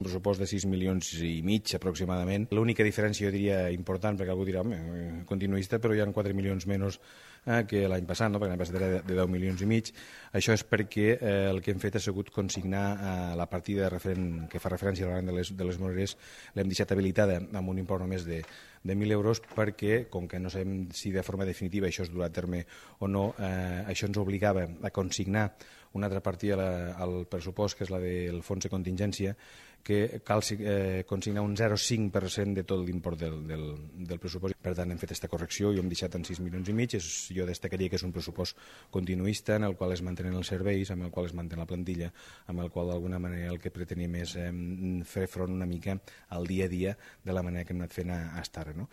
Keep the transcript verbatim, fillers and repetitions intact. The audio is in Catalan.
pressupost de sis milions i mig aproximadament. L'única diferència, jo diria, important, perquè algú dirà, home, continuista, però hi ha quatre milions menys eh, que l'any passat, no? Perquè l'any passat era de deu milions i mig. Això és perquè eh, el que hem fet ha sigut consignar eh, la partida referent, que fa referència a l'any de les, de les monedes, l'hem deixat habilitada amb un import només de, de mil euros perquè, com que no sabem si de forma definitiva això es durà a terme o no, eh, això ens obligava a consignar una altra partida al pressupost, que és la del fons de contingència, que cal eh, consignar un zero coma cinc per cent de tot l'import del, del, del pressupost. Per tant, hem fet aquesta correcció i hem deixat en sis milions i mig. És, jo destacaria que és un pressupost continuista en el qual es mantenen els serveis, amb el qual es mantén la plantilla, amb el qual d'alguna manera el que pretenim és eh, fer front una mica al dia a dia de la manera que hem anat fent a, a estar, no?